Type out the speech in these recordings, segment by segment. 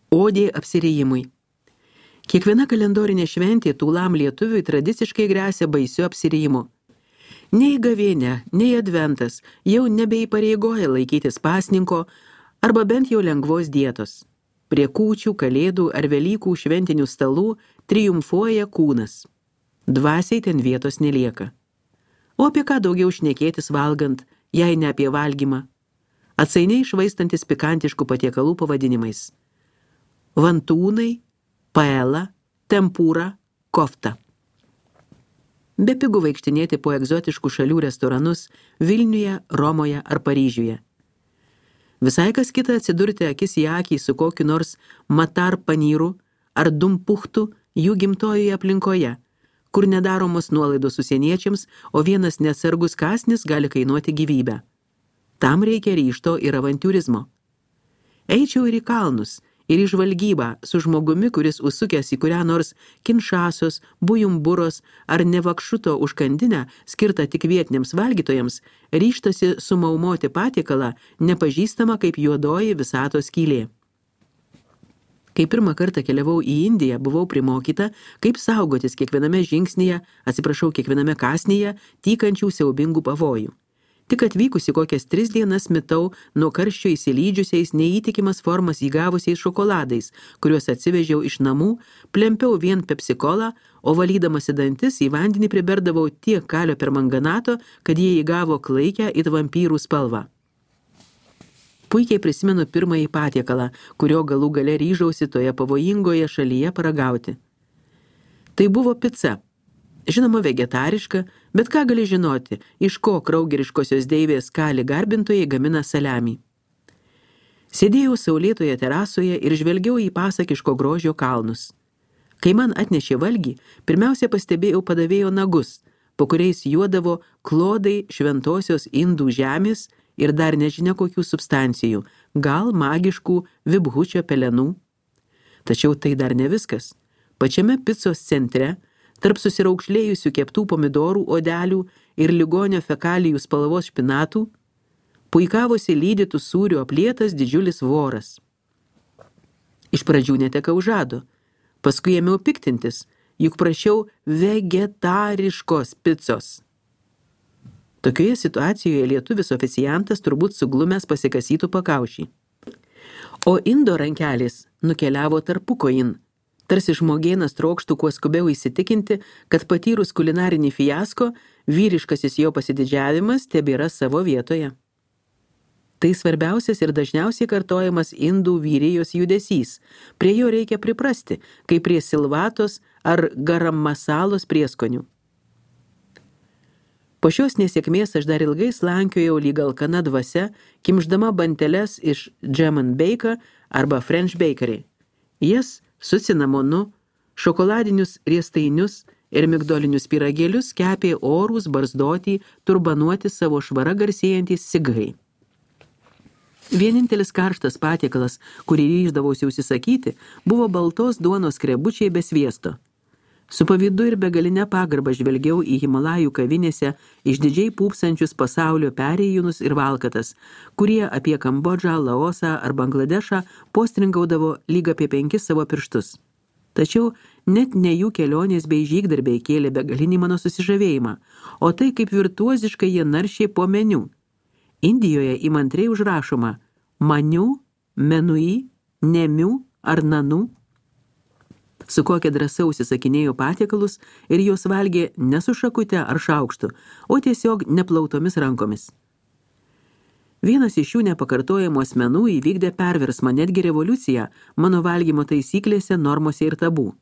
Odė apsirijimui. Kiekviena kalendorinė šventė tūlam lietuviui tradiciškai gresia baisiu apsirijimu. Nei gavėnia, nei adventas jau nebeįpareigoja laikytis pasninko arba bent jau lengvos dietos. Prie kūčių, kalėdų ar Velykų šventinių stalų triumfuoja kūnas. Dvasiai ten vietos nelieka. O apie ką daugiau šnekėtis valgant, jei ne apie valgymą? Atsainiai švaistantis pikantiškų patiekalų pavadinimais. Vantūnai, paela, tempūra, kofta. Bepigu vaikštinėti po egzotiškų šalių restoranus Vilniuje, Romoje ar Paryžiuje. Visai kas kita atsidurti akis į akį su kokiu nors matar panyru ar dumpuchtu jų gimtojoje aplinkoje, kur nedaromos nuolaidos užsieniečiams, o vienas neatsargus kąsnis gali kainuoti gyvybę. Tam reikia ryžto ir avantiūrizmo. Eičiau ir į kalnus, ir į žvalgybą su žmogumi, kuris užsukęs į kurią nors Kinšasos, Bujumburos ar Nevakšuto užkandinę, skirtą tik vietiniams valgytojams, ryžtasi sumaumoti patiekalą, nepažįstama kaip juodoji visatos skylė. Kai pirmą kartą keliavau į Indiją, buvau primokyta, kaip saugotis kiekviename kiekviename kąsnyje tykančių siaubingų pavojų. Tik atvykusi kokias 3 dienas mitau nuo karščio įsilydžiusiais neįtikimas formas įgavusiais šokoladais, kuriuos atsivežiau iš namų, plempiau vien pepsikolą, o valydamasi dantis į vandenį priberdavau tiek kalio permanganato, kad jie įgavo klaikę it vampyrų spalvą. Puikiai prisimenu pirmąjį patiekalą, kurio galų gale ryžausi toje pavojingoje šalyje paragauti. Tai buvo pica. Žinoma, vegetariška, bet ką gali žinoti, iš ko kraugeriškosios deivės kali garbintojai gamina saliamį. Sėdėjau saulėtoje terasoje ir žvelgiau į pasakiško grožio kalnus. Kai man atnešė valgį, pirmiausia pastebėjau padavėjo nagus, po kuriais juodavo klodai šventosios indų žemės ir dar nežinia kokių substancijų, gal magiškų vibhučio pelenų. Tačiau tai dar ne viskas. Pačiame picos centre, tarp susiraukšlėjusių keptų pomidorų odelių ir ligonio fekalijų spalvos špinatų, puikavosi lydytų sūrių aplietas didžiulis voras. Iš pradžių netekau žado, paskui ėmiau piktintis, juk prašiau vegetariškos picos. Tokioje situacijoje lietuvis oficiantas turbūt suglumęs pasikasytų pakaušį. O indo rankelis nukeliavo tarpukojin, tarsi žmogėnas trokštų kuo skubiau įsitikinti, kad patyrus kulinarinį fiasko, vyriškasis jo pasididžiavimas tebėra savo vietoje. Tai svarbiausias ir dažniausiai kartojamas indų vyrijos judesys. Prie jo reikia priprasti, kaip prie silvatos ar garam masalos prieskonių. Po šios nesėkmės aš dar ilgai slankiojau lyg alkana dvasia, kimšdama banteles iš Jam and Bake arba French Bakery. Jas su cinamonu, šokoladinius riestainius ir migdolinius pyragėlius kepė orūs, barzdoti, turbanuoti savo švara garsėjantys sigrai. Vienintelis karštas patiekalas, kurį ryždavausi užsisakyti, buvo baltos duonos skrebučiai be sviesto. Su pavydu ir begaline pagarbą žvelgiau į Himalajų kavinėse išdidžiai pūpsančius pasaulio perėjūnus ir valkatas, kurie apie Kambodžą, Laosą ar Bangladešą postringaudavo lyg apie 5 savo pirštus. Tačiau net ne jų kelionės bei žygdarbiai kėlė begalinį mano susižavėjimą, o tai kaip virtuoziškai jie naršė po meniu. Indijoje įmantriai užrašoma maniu, menui, nemiu ar nanu. Su kokia drąsa užsisakinėjo patiekalus ir juos valgė ne su šakute ar šaukštu, o tiesiog neplautomis rankomis. Vienas iš šių nepakartojamų asmenų įvykdė perversmą, netgi revoliuciją mano valgymo taisyklėse, normose ir tabų.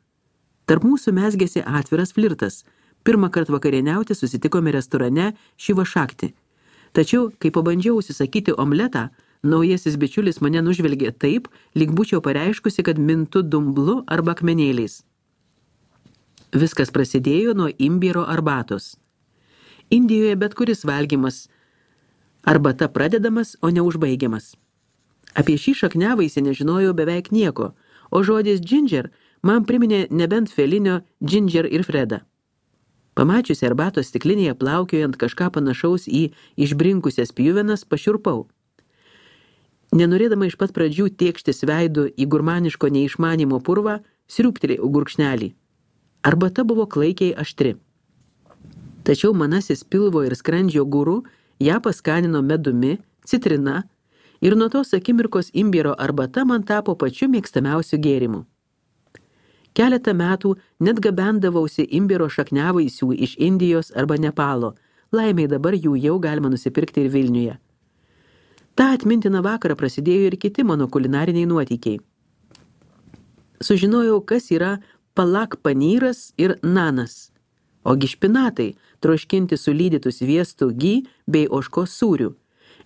Tarp mūsų mezgėsi atviras flirtas. Pirmą kartą vakarieniauti susitikome restorane Šiva Šakti. Tačiau, kai pabandžiau užsisakyti omletą, naujasis bičiulis mane nužvelgė taip, lyg būčiau pareiškusi, kad mintu dumblu arba akmenėliais. Viskas prasidėjo nuo imbiero arbatos. Indijoje bet kuris valgymas arbata pradedamas, o neužbaigiamas. Apie šį šakniavaisį nežinojau beveik nieko, o žodis ginger man priminė nebent Felinio Ginger ir Fredą. Pamačiusi arbatos stiklinėje plaukiojant kažką panašaus į išbrinkusias pjuvenas, pašiurpau. Nenorėdama iš pat pradžių tėkštis veidu į gurmaniško neišmanimo purvą, sriūptelėjau gurkšnelį. Arbata buvo klaikiai aštri. Tačiau manasis pilvo ir skrandžio guru ją paskanino medumi, citrina ir nuo tos akimirkos imbiero arbata man tapo pačiu mėgstamiausiu gėrimu. Keletą metų net gabendavausi imbiero šakniavaisių iš Indijos arba Nepalo. Laimiai dabar jų jau galima nusipirkti ir Vilniuje. Ta atmintiną vakarą prasidėjo ir kiti mano kulinariniai nuotykiai. Sužinojau, kas yra palak panyras ir nanas. Ogi špinatai, troškinti su lydytų sviestu gy bei ožkos sūriu.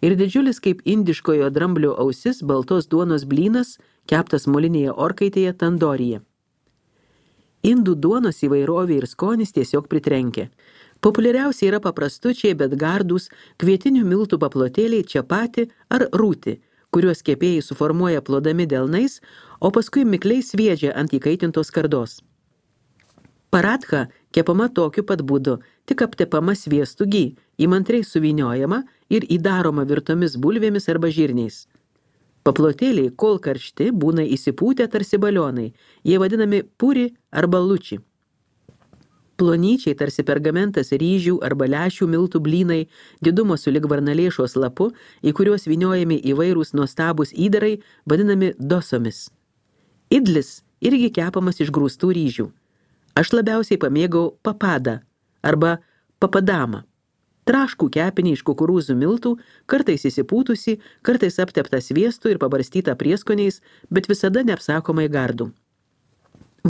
Ir didžiulis kaip indiškojo dramblio ausis baltos duonos blynas, keptas molinėje orkaitėje tandorija. Indų duonos įvairovė ir skonis tiesiog pritrenkia. Populiariausiai yra paprastučiai, bet gardūs kvietinių miltų paplotėliai čapati ar rūti, kuriuos kepėjai suformuoja plodami delnais, o paskui mikliai sviedžia ant įkaitintos skardos. Paratha kepama tokiu pat būdu, tik aptepama sviestu gy, įmantriai suvyniojama ir įdaroma virtomis bulvėmis arba žirniais. Paplotėliai, kol karšti, būna įsipūtę tarsi balionai, jie vadinami puri arba luči. Plonyčiai tarsi pergamentas ryžių arba lęšių miltų blynai, didumo sulig varnalėšos lapu, į kuriuos vyniojami įvairūs nuostabūs įdarai, vadinami dosomis. Idlis irgi kepamas iš grūstų ryžių. Aš labiausiai pamėgau papadą arba papadamą. Traškų kepinį iš kukurūzų miltų, kartais įsipūtusi, kartais apteptą sviestu ir pabarstytą prieskoniais, bet visada neapsakomai gardų.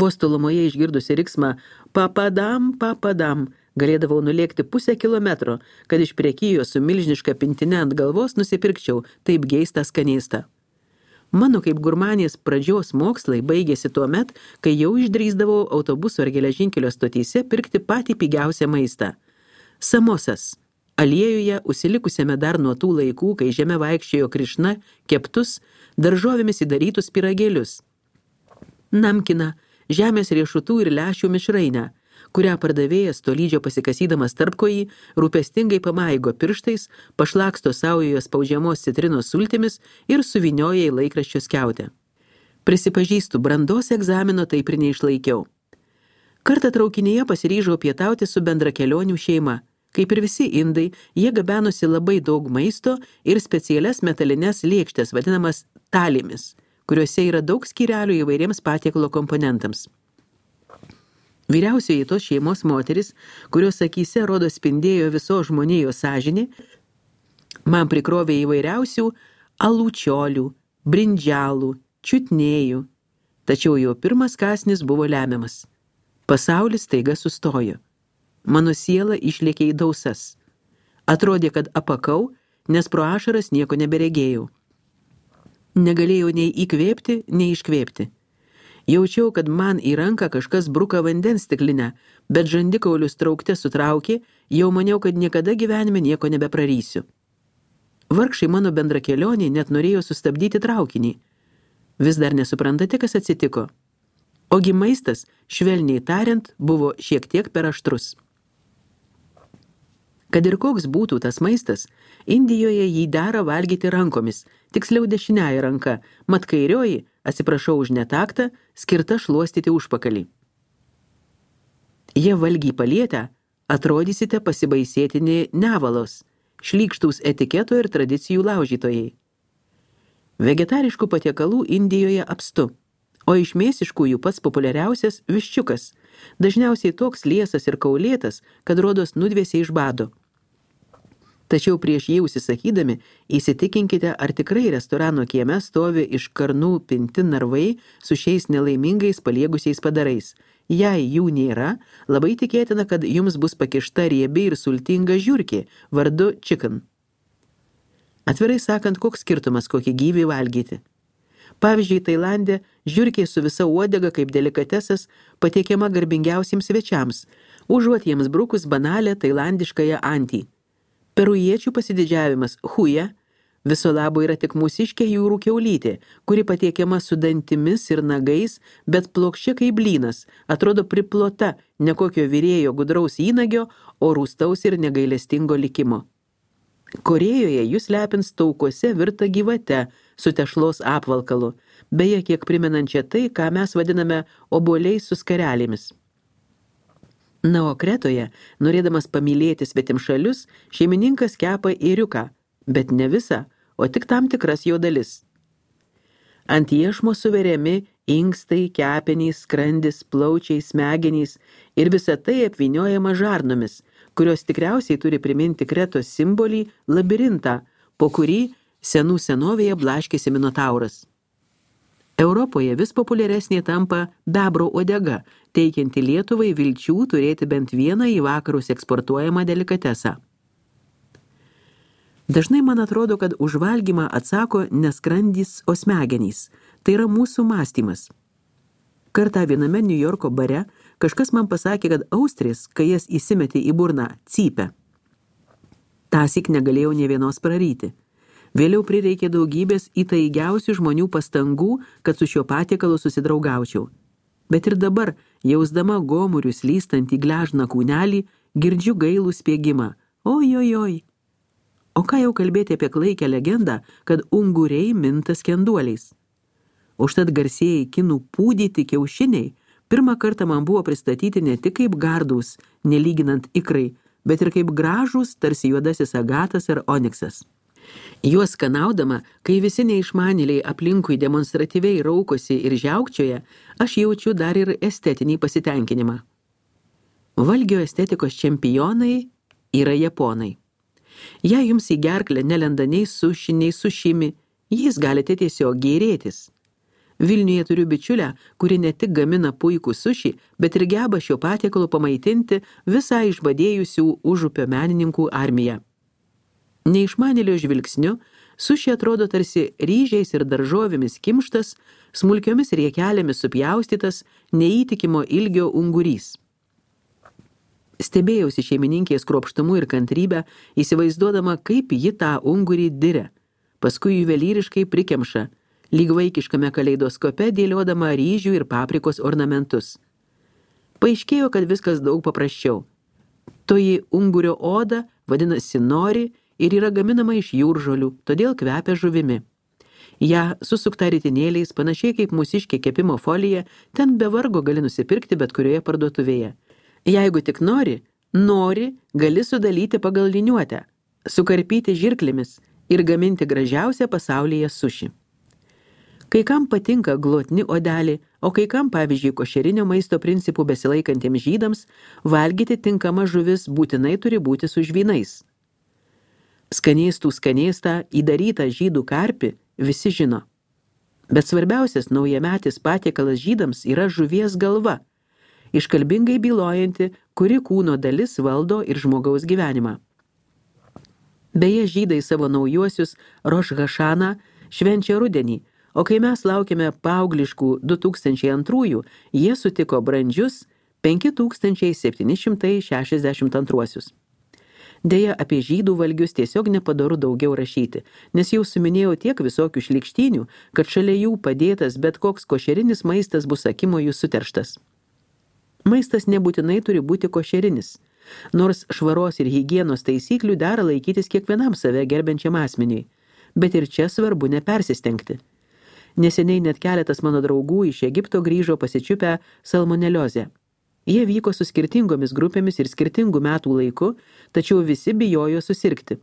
Vos tolumoje išgirdusi riksmą papadam, papadam, galėdavau nulėkti 0,5 kilometro, kad iš prekijos su milžiniška pintine ant galvos nusipirkčiau taip geistą skanėstą. Mano kaip gurmanės pradžios mokslai baigėsi tuo met, kai jau išdrįsdavau autobuso ar geležinkelio stotyse pirkti patį pigiausią maistą. Samosas. Aliejuje, užsilikusiame dar nuo tų laikų, kai žeme vaikščiojo Krišna, keptus, daržovėmis įdarytus pyragėlius. Namkina, žemės riešutų ir lęšių mišrainę, kurią pardavėjas tolydžio pasikasydamas tarpkojį, rūpestingai pamaigo pirštais, pašlaksto saujoje spaudžiamos citrinos sultimis ir suvynioja į laikraščio skiautę. Prisipažįstu, brandos egzamino taip ir neišlaikiau. Kartą traukinyje pasiryžau pietauti su bendrakelionių šeima. Kaip ir visi indai, jie gabenosi labai daug maisto ir specialias metalines lėkštes, vadinamas talimis, kuriuose yra daug skyrelių įvairiems patiekalo komponentams. Vyriausioji tos šeimos moteris, kurios akyse rodo spindėjo visos žmonijos sąžinė, man prikrovė įvairiausių alūčiolių, brindžialų, čiutnėjų. Tačiau jo pirmas kąsnis buvo lemiamas. Pasaulis staiga sustojo. Mano siela išlėkė į dausas. Atrodė, kad apakau, nes pro ašaras nieko neberegėjau. Negalėjau nei įkvėpti, nei iškvėpti. Jaučiau, kad man į ranką kažkas bruka vandens stiklinę, bet žandikaulius traukte sutraukė, jau maniau, kad niekada gyvenime nieko nebeprarysiu. Vargšai mano bendrakelionį net norėjo sustabdyti traukinį. Vis dar nesuprantate, kas atsitiko. Ogi maistas, švelniai tariant, buvo šiek tiek per aštrus. Kad ir koks būtų tas maistas, Indijoje jį dera valgyti rankomis, tiksliau dešiniąja ranka, mat kairioji, atsiprašau už netaktą, skirta šluostyti užpakalį. Jie valgiai palietę, atrodysite pasibaisėtini nevalos, šlykštūs etiketo ir tradicijų laužytojai. Vegetariškų patiekalų Indijoje apstu, o iš mėsiškųjų pats populiariausias viščiukas, dažniausiai toks liesas ir kaulėtas, kad rodos nudvėsia iš bado. Tačiau prieš jį užsisakydami, įsitikinkite, ar tikrai restorano kieme stovi iš karnų pinti narvai su šiais nelaimingais paliegusiais padarais. Jei jų nėra, labai tikėtina, kad jums bus pakišta riebi ir sultinga žiurkė, vardu chicken. Atvirai sakant, koks skirtumas kokį gyvį valgyti. Pavyzdžiui, Tailande žiurkė su visa uodega kaip delikatesas patiekiama garbingiausiems svečiams, užuot jiems brukus banalę tailandiškąją antį. Perujiečių pasididžiavimas huja viso labo yra tik mūsiškė jūrų kiaulytė, kuri patiekiama su dantimis ir nagais, bet plokščia kaip blynas, atrodo priplota ne kokio virėjo gudraus įnagio, o rūstaus ir negailestingo likimo. Korėjoje jūs lepins taukuose virta gyvate su tešlos apvalkalu, beje kiek primenančia tai, ką mes vadiname obuoliais su skarelėmis. Na, o Kretoje, norėdamas pamylėti svetimšalius, šeimininkas kepa ėriuką, bet ne visą, o tik tam tikras jo dalis. Ant iešmo suveriami inkstai, kepenys, skrandis, plaučiai, smegenys ir visa tai apvyniojama žarnomis, kurios tikriausiai turi priminti Kretos simbolį labirintą, po kurį senų senovėje blaškėsi minotauras. Europoje vis populiaresnė tampa bebro uodega, teikianti Lietuvai vilčių turėti bent vieną į vakarus eksportuojamą delikatesą. Dažnai man atrodo, kad už valgymą atsako ne skrandis, o smegenys. Tai yra mūsų mąstymas. Kartą viename Niujorko bare kažkas man pasakė, kad austrės, kai jas įsimetė į burną, cypia. Tąsyk negalėjau nė vienos praryti. Vėliau prireikė daugybės įtaigiausių žmonių pastangų, kad su šiuo patiekalu susidraugaučiau. Bet ir dabar, jausdama gomurių slystant į gležną kūnelį, girdžiu gailų spiegimą. Ojojoj. O ką jau kalbėti apie klaikę legendą, kad unguriai minta skenduoliais. Užtat garsieji kinų pūdyti kiaušiniai pirmą kartą man buvo pristatyti ne tik kaip gardūs, nelyginant ikrai, bet ir kaip gražūs, tarsi juodasis agatas ar oniksas. Juos skanaudama, kai visi neišmanėliai aplinkui demonstratyviai raukosi ir žiaukčioja, aš jaučiu dar ir estetinį pasitenkinimą. Valgio estetikos čempionai yra japonai. Jei jums į gerklę nelenda nei suši, nei sušimi, jais galite tiesiog gėrėtis. Vilniuje turiu bičiulę, kuri ne tik gamina puikų suši, bet ir geba šio patiekalu pamaitinti visą išbadėjusių užupio menininkų armiją. Neišmanėlio žvilgsniu, suši atrodo tarsi ryžiais ir daržovėmis kimštas, smulkiomis riekelėmis supjaustytas, neįtikimo ilgio ungurys. Stebėjausi šeimininkės kruopštumu ir kantrybę, įsivaizduodama, kaip ji tą ungurį diria, paskui juvelyriškai prikemša, lyg vaikiškame kaleidoskope dėliodama ryžių ir paprikos ornamentus. Paaiškėjo, kad viskas daug paprasčiau. Toji ungurio oda vadinasi nori ir yra gaminama iš jūržolių, todėl kvepia žuvimi. Ja susukta ritinėliais, panašiai kaip mūsiškė kepimo folija, ten be vargo gali nusipirkti bet kurioje parduotuvėje. Jeigu tik nori, gali sudalyti pagal liniuotę, sukarpyti žirklėmis ir gaminti gražiausią pasaulyje suši. Kai kam patinka glotni odelį, o kai kam, pavyzdžiui, košerinio maisto principų besilaikantiems žydams, valgyti tinkama žuvis būtinai turi būti su žvynais. Skanėstą įdarytą žydų karpį visi žino. Bet svarbiausias naujametis patiekalas žydams yra žuvies galva, iškalbingai bylojanti, kuri kūno dalis valdo ir žmogaus gyvenimą. Beje, žydai savo naujuosius Roš Hašaną švenčia rudenį, o kai mes laukiame paaugliškų 2002, jie sutiko brandžius 5762. Deja, apie žydų valgius tiesiog nepadoru daugiau rašyti, nes jau suminėjau tiek visokių šlykštynių, kad šalia jų padėtas bet koks košerinis maistas bus akimojų suterštas. Maistas nebūtinai turi būti košerinis, nors švaros ir higienos taisyklių dera laikytis kiekvienam save gerbiančiam asmeniui, bet ir čia svarbu nepersistengti. Neseniai net keletas mano draugų iš Egipto grįžo pasičiupę salmoneliozę. Jie vyko su skirtingomis grupėmis ir skirtingų metų laiku, tačiau visi bijojo susirgti.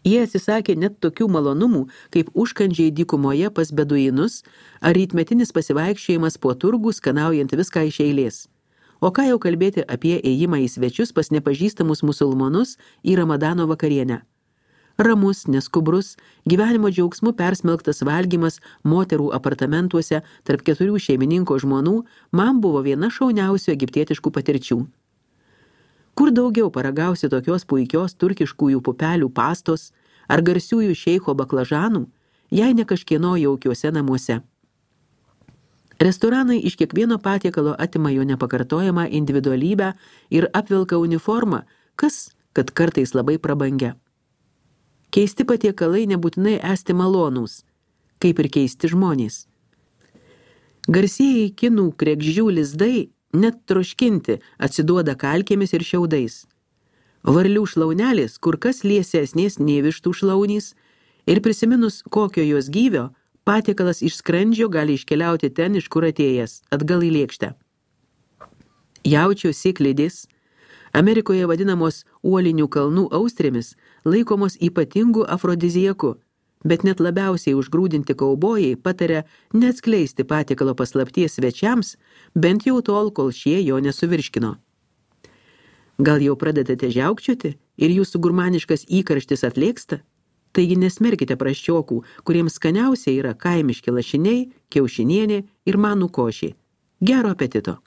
Jie atsisakė net tokių malonumų, kaip užkandžiai dykumoje pas beduinus ar rytmetinis pasivaikščiojimas po turgų, skanaujant viską iš eilės. O ką jau kalbėti apie ėjimą į svečius pas nepažįstamus musulmonus į Ramadano vakarienę. Ramus, neskubrus, gyvenimo džiaugsmu persmelktas valgymas moterų apartamentuose tarp 4 šeimininko žmonų man buvo viena šauniausių egiptietiškų patirčių. Kur daugiau paragausi tokios puikios turkiškųjų pupelių pastos ar garsiųjų šeicho baklažanų, jei ne kažkieno jaukiuose namuose. Restoranai iš kiekvieno patiekalo atima jo nepakartojamą individualybę ir apvilka uniformą, kas, kad kartais labai prabangia. Keisti patiekalai nebūtinai esti malonūs, kaip ir keisti žmonės. Garsieji kinų kregždžių lizdai, net troškinti, atsiduoda kalkėmis ir šiaudais. Varlių šlaunelės kur kas liesesnės nei vištų šlaunys Ir prisiminus kokio jos gyvio, patiekalas iš skrandžio gali iškeliauti ten, iš kur atėjęs, atgal į lėkštę. Jaučio sėklidės, Amerikoje vadinamos uolinių kalnų austrėmis, laikomos ypatingų afrodizijakų, bet net labiausiai užgrūdinti kaubojai pataria neatskleisti patiekalo paslapties svečiams, bent jau tol, kol šie jo nesuvirškino. Gal jau pradedate žiaukčioti ir jūsų gurmaniškas įkarštis atlėksta? Taigi nesmerkite prasčiokų, kuriems skaniausia yra kaimiški lašiniai, kiaušinienė ir manų košė. Gero apetito!